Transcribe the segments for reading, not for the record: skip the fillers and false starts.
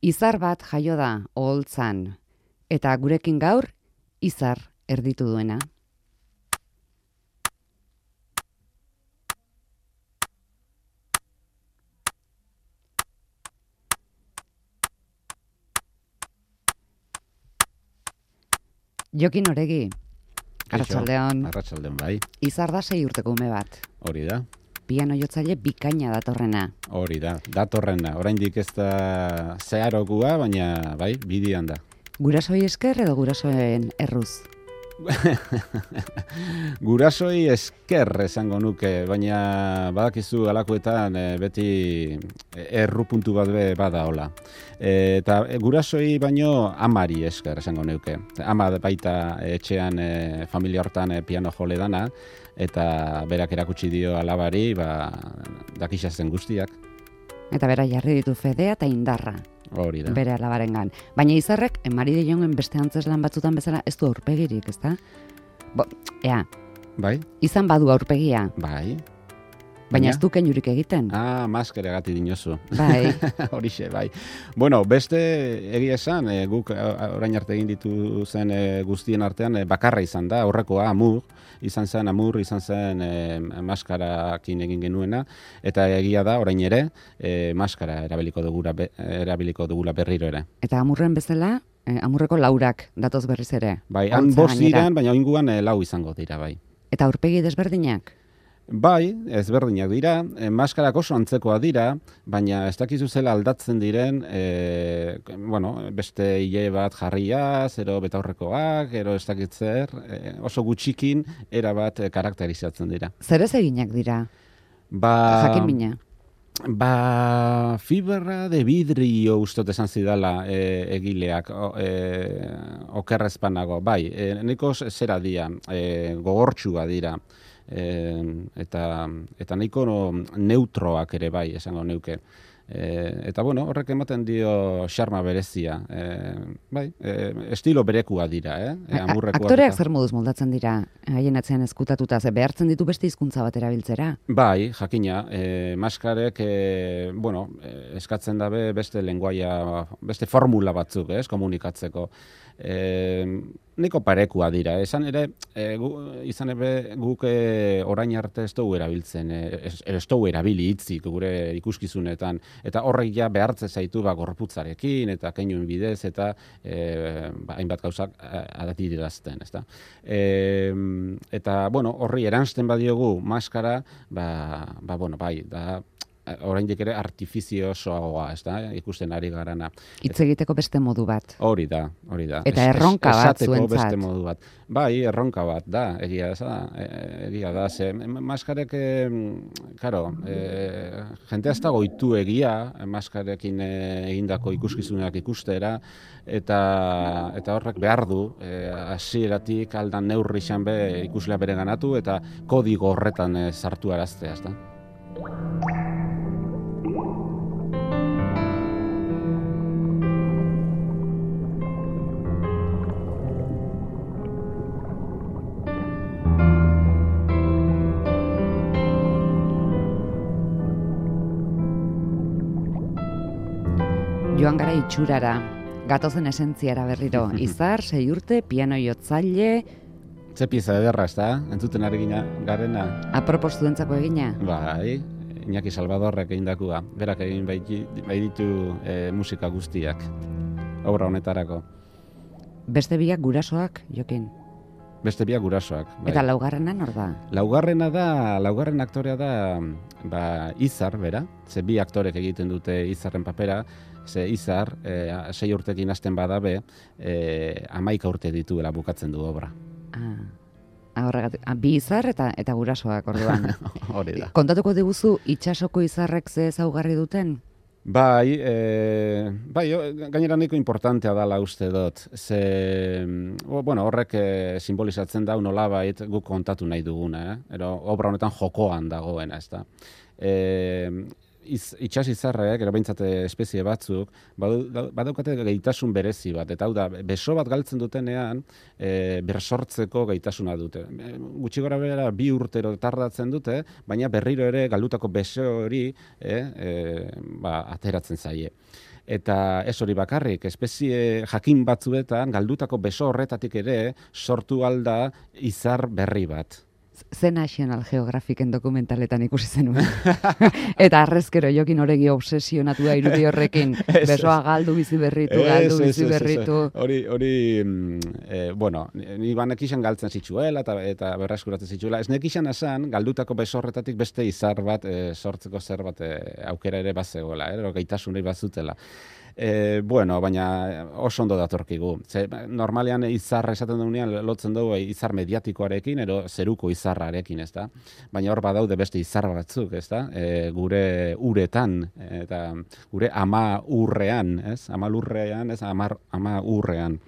Izar bat jaio da oholtzan, eta gurekin gaur izar erditu duena. Jokin Oregi, arratsaldeon. Arratsaldeon bai. Izar da 6 urteko ume bat. Hori da. Piano jotzaile bikaina datorrena. Hori da, datorrena. Oraindik ez da zeharokua, baina bai, bidian da. Gurasoi esker edo gurasoen erruz? Gurasoi esker esango nuke, baina badakizu alakoetan beti erru puntu bat be bada hola. Eta gurasoi baino amari esker esango nuke. Ama baita etxean familia hortan piano jole dana, eta berak erakutsi dio alabari, dakixazen guztiak. Eta bera jarri ditu fedea eta indarra. Hori da. Bere alabarengan. Baina izarrek, Mari de Jongen beste antzeslan batzutan bezala ez du aurpegirik, ezta? Bai? Izan badu aurpegia. Bai. Baina ez du keinurik egiten. Maskera gati dinozu. Bai. Horixe, bai. Bueno, beste egia esan, guk orain arte egin ditu zen guztien artean bakarra izan da, horrekoa Amur, izan zen maskarakin egin genuena, eta egia da, orain ere, maskara erabiliko dugula berriro ere. Eta Amurren bezala, Amurreko laurak datoz berriz ere. Bai, han bost diran, baina oinguan lau izango dira, bai. Eta aurpegi desberdinak? Bai, ezberdinak dira, maskarak oso antzekoa dira, baina ez dakizu zela aldatzen diren, beste hile bat jarriaz, ero betaurrekoak, ero ez dakitzer, oso gutxikin erabat karakterizatzen dira. Zer ez eginak dira? Jakin mina? Fibra de vidrio ustot esan zidala egileak, okerrezpanago, bai, nahiko zera dira, gogortxua dira, eta nahiko neutroak ere bai, esango neuke. Eta horrek ematen dio xarma berezia. Estilo berekua dira, Aktoreak zer moduz moldatzen dira, haien atzean ezkutatuta, ze behartzen ditu beste hizkuntza bat erabiltzera? Bai, jakina, maskarek, eskatzen dabe beste lenguaia, beste formula batzuk, komunikatzeko. Neko parekua dira, izan ere guk orain arte ez dugu erabiltzen, ez dugu erabili hitzik gure ikuskizunetan, eta horrek ja behartze zaitu gorputzarekin, eta keinuen bidez, eta hainbat gauzak adatirazten, ezta. Eta, horri eransten badiogu maskara, bai, da, oraindik ere artifiziosoagoa, ez da, ikusten ari garana. Hitz egiteko beste modu bat. Hori da. Eta erronka bat zuentzat. Esateko beste modu bat. Bai, erronka bat, da, egia da, ze maskarek, jente ez da goitu egia, maskarekin egindako ikuskizunak ikustera, eta horrek behar du, hasieratik aldan neurri izan be ikuslea bere ganatu, eta kodigo horretan sartu araztea, ez da. Joan gara itxurara, gatozen esentziara berriro. Izar, 6 urte, piano jotzaile... Ze pieza ederra, ez da? Entzuten ari garena. Apropos zuentzako egina? Bai, Iñaki Salvadorrek egindakua. Berak egin ditu musika guztiak, obra honetarako. Beste biak gurasoak, Jokin? Beste biak gurasoak. Bai. Eta laugarrena nor da? Laugarren aktorea da Izar, bera. Ze bi aktorek egiten dute Izarren papera. Ze Izar, 6 urtekin hasten badabe, 11 urte dituela bukatzen du obra. Horregatik, bi izar eta gurasoak orduan. Hori da. Kontatuko diguzu itxasoko izarrek ze ezaugarri duten? Bai, gainera nahiko importantea dela uste dut. Ze, horrek simbolizatzen da nolabait guk kontatu nahi duguna, obra honetan jokoan dagoena, ez da. Itxas izarrek, behintzat espezie batzuk, badaukate gaitasun berezi bat, eta hau da, beso bat galtzen dutenean, bersortzeko gaitasuna dute. Gutxi gora bera 2 urtero tardatzen dute, baina berriro ere galdutako beso hori ateratzen zaie. Eta ez hori bakarrik, espezie jakin batzuetan, galdutako beso horretatik ere, sortu alda izar berri bat. Ze National Geographiken dokumentaletan ikusi zenuen. Eta arrezkero jokin horegi obsesionatua irudi horrekin. Besoa galdu bizi berritu, bizi berritu. Hori, bueno, ni banekixan galtzen zitzuela eta berreskuratzen zitzuela. Ez nekixan esan, galdutako beso horretatik beste izar bat, sortzeko zer bat aukera ere bazegoela, gaitasunei bazutela. Bueno, baina oso ondo datorkigu. Normalean izarra esaten dugunean lotzen dugu izar mediatikoarekin edo zeruko izarrarekin, ez da? Baina hor badaude beste izar batzuk, ez da? Gure uretan eta gure ama urrean, ez? Ama lurrean, ez? Ama urrean.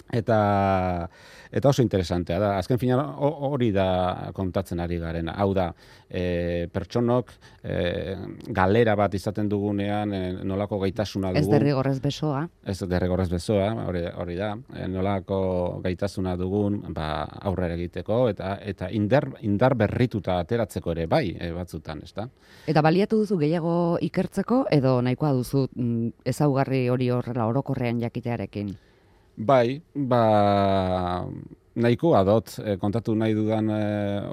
Eta oso interesantea da. Azken finean hori da kontatzen ari garena. Hau da, pertsonok galera bat izaten dugunean nolako gaitasuna dugu. Ez derrigorrez besoa. Ez derrigorrez besoa, hori da. Nolako gaitasuna dugun aurrera egiteko eta indar berrituta ateratzeko ere bai batzutan, ez da? Eta baliatu duzu gehiago ikertzeko edo nahikoa duzu ezaugarri hori horrela orokorrean jakitearekin? Bai, nahikoa dot, kontatu nahi dudan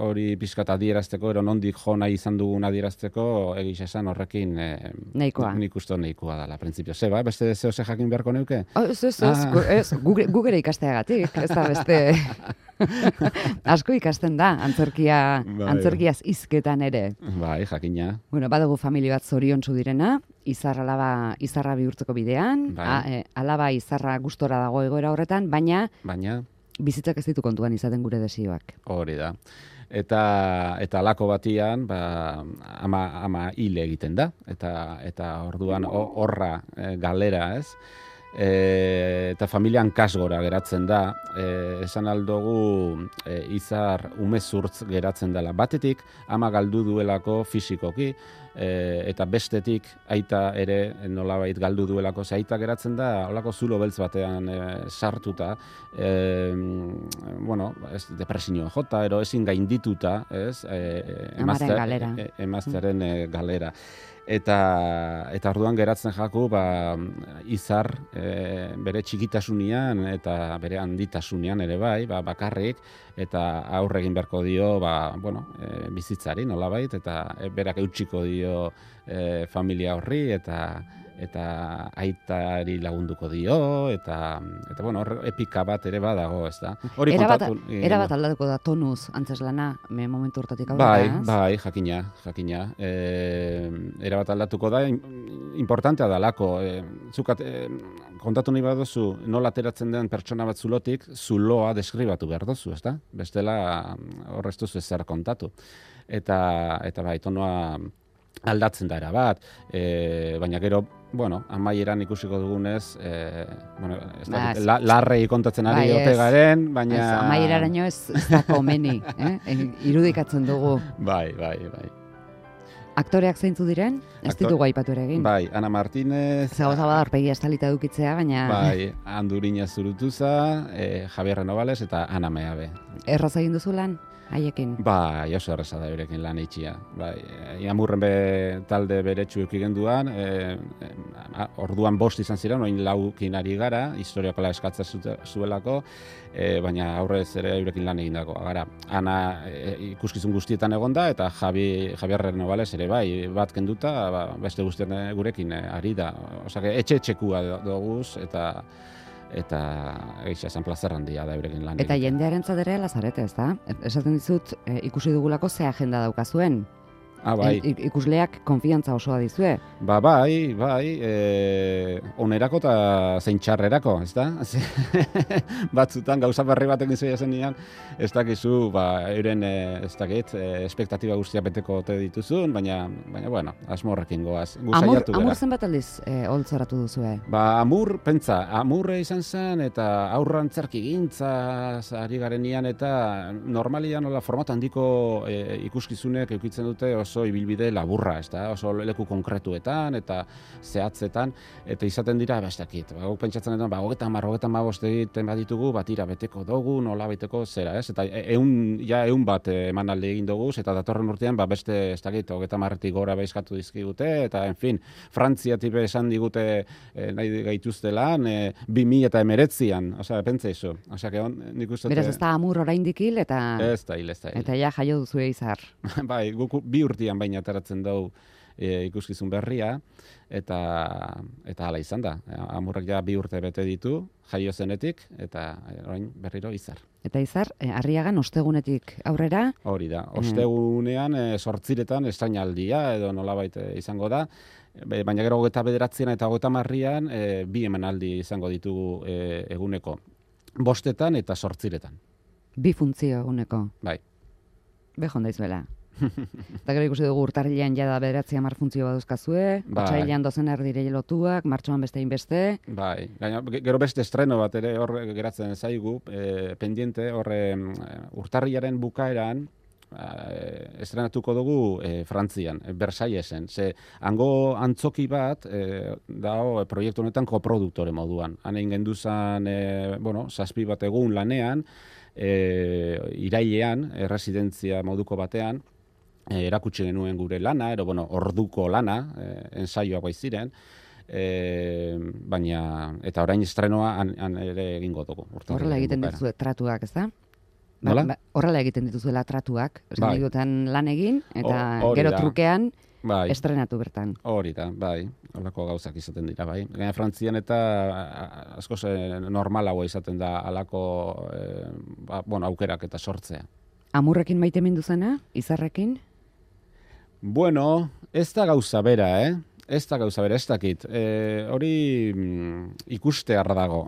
hori pixkat adierazteko, ero nondik jo nahi izan dugun adierazteko, egiz esan horrekin nahikoa. Nik uste nahikoa dela, printzipio. Zeba, beste zehose jakin beharko neuke? Ez, gugere ikasteagatik, ez da beste... Asko ikasten da, antzerkiaz hizketan ere. Bai, jakina. Bueno, badugu familia bat zoriontsu direna, izarra bihurtzeko bidean, alaba izarra gustora dago egoera horretan, baina bizitzak ez ditu kontuan izaten gure desioak. Hori da. Eta alako batian, ama hile egiten da, eta orduan horra galera, ez? Eta familian kasgora geratzen da, esan aldogu izar umezurtz geratzen dela. Batetik, ama galdu duelako fisikoki, eta bestetik aita ere nolabait galdu duelako, ze aita geratzen da, holako zulo beltz batean sartuta, bueno, depresioa jota, ero ezin gaindituta, ez? Emaztearen galera. Eta orduan geratzen jaku izar bere txikitasunean eta bere handitasunean ere bai, bakarrik, eta aurre egin beharko dio bizitzari nolabait, eta berak eutsiko dio familia horri, eta aitari lagunduko dio, eta bueno, epika bat ere badago, ez da? Era bat aldatuko da tonuz antzeslana, momentu hortatik aurrera, Bai, jakina. Era bat aldatuko da, importantea dalako. Kontatu nahi baduzu, nola ateratzen den pertsona bat zulotik, zuloa deskribatu behar duzu, ez da? Bestela horreztu ezer kontatu. Eta bai, tonoa aldatzen da erabat, baina gero, amaieran ikusiko dugunez, larrei kontatzen ari ote garen, baina... Amaieraraino ez da komeni, irudikatzen dugu. Bai. Aktoreak zeintzu diren? Ez ditugu aipatu ere egin. Bai, Ana Martínez... Zagoza bada horpegi estalita dukitzea, baina... Bai, Andurina Zurutuza, Javier Renovales eta Ana Meabe. Erraz egin duzu lan? Haiekin? Bai, oso erreza da berekin lan itxia. Bai, Amurren talde beretsu eukigen duan, orduan 5 izan ziren, oin 4 ari gara, historiakola eskatzen zuelako, baina aurrez ere eurekin lan egin dago. Gara, Ana ikuskizun guztietan egonda, eta Javier Renovales ere bai, bat kenduta, beste guztien gurekin ari da. Osake, etxe-etxekua doguz, eta egisa esan plazer handia da eurekin lan. Eta jendearen zadere lazarete, ez da? Esaten dizut, ikusi dugulako ze agenda daukazuen. Bai. Ikusleak konfiantza osoa dizue. Bai, onerako eta zein txarrerako, ez da? Batzutan gauza berri batekin zoia zenean, ez dakizu, euren, ez dakit, espektatiba guztia beteko ote dituzun, baina bueno, asmorrekin goaz. Amur zenbat aldiz holtzoratu duzue? Amurre izan zen, eta aurrantzarki gintza ari garenian, eta normalian format handiko ikuskizunek eukitzen dute oso oso ibilbide laburra, ez da, oso leku konkretuetan eta zehatzetan, eta izaten dira, ez dakit, guk pentsatzen dut, 30-35 egiten baditugu, batira beteko dugu, nola beteko zera, ez? Eta eun bat emanaldi egin dugu, eta datorren urtean, beste, ez dakit, 30-tik gora behizkatu dizkigute, eta, en fin, Frantziatik esan digute nahi gaituztelan, 2019an, osea, pentsa iso. Osea, nik uste... Beraz, ez da amur oraindik hil, eta... Ez da hil. Eta ja jaio duzu Izar. Bai, guk 2 urtean baina ateratzen dugu ikuskizun berria, eta hala izan da. Amurrak ja 2 urte bete ditu, jaio zenetik, eta orain berriro Izar. Eta Izar, Arriagan ostegunetik aurrera? Hori da, ostegunean 8etan estrainaldia, edo nolabait izango da, baina gero 29an eta 30an 2 emanaldi izango ditugu eguneko. 5etan eta 8etan. 2 funtzio eguneko? Bai. Behon daizuela. Eta gero ikusi dugu urtarrilean jada 9-10 funtzio baduzkazue, otsailean 12 erdire lotuak, martxoan beste inbeste. Bai, gero beste estreno bat ere hor geratzen zaigu, pendiente, urtarrilaren bukaeran, estrenatuko dugu Frantzian, Versaillesen. Ze hango antzoki bat dago proiektu honetan koproduktore moduan. Han egin genduzan, 7 bat egun lanean, irailean, residentzia moduko batean, erakutsi genuen gure lana, orduko lana, ensaioak baiziren, baina, eta orain estrenoa han ere egingo dugu. Horrela egiten dituzu tratuak, ez da? Horrela egiten dituzuela tratuak, bai. Lan egin, eta gero trukean bai. Estrenatu bertan. Hori da, bai, holako gauzak izaten dira, bai. Gaina Frantzian eta askoz normalagoa izaten da halako aukerak eta sortzea. Amurrekin maite mindu zena, Izarrekin? Bueno, ez da gauza bera, Ez da gauza bera, ez dakit. Hori ikustear dago.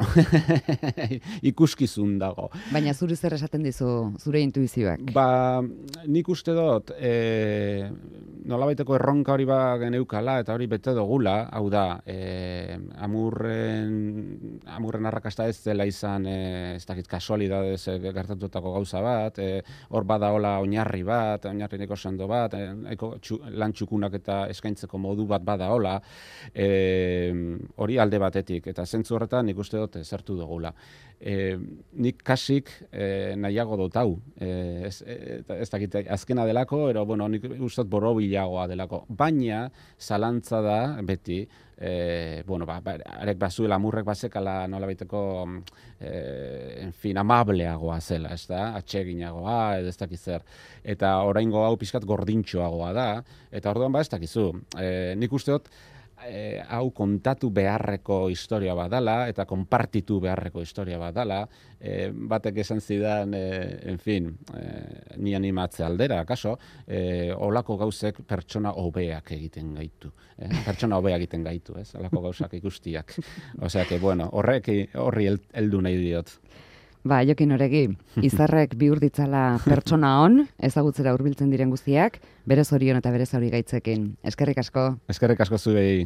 Ikuskizun dago. Baina zuri zer esaten dizu, zure intuizioak? Nik uste dut, nolabaiteko erronka hori geneukala eta hori bete dugula, hau da, amurren arrakasta ez dela izan, ez dakit, kasualidadez gertatutako gauza bat, hor badaola oinarri bat, oinarri neko sendo bat, lan txukunak eta eskaintzeko modu bat bada hola, hori alde batetik, eta zentzu horretan nik uste dut zertu dugula. Nik kasik nahiago dut hau, ez dakit azkena delako, nik uste dut borobilagoa delako, baina zalantza da beti, arek bazuela amurrek bazekala nola baiteko amableagoa zela, ez da, atseginagoa, ez dakiz zer, eta oraingo hau pixkat gordintxoagoa da, eta orduan ez dakizu, nik uste dut hau kontatu beharreko historia badala, eta konpartitu beharreko historia badala, batek esan zidan, ni animatze aldera, kaso, olako gauzek pertsona hobeak egiten gaitu. Pertsona hobeak egiten gaitu, ez? Olako gauzak ikustiak. Osea, horri heldu nahi diot. Jokin Oregi, Izarrek bihur ditzala pertsona on, ezagutzera hurbiltzen diren guztiak, bere zorion eta bere zauri gaitzekin. Eskerrik asko. Eskerrik asko zuei.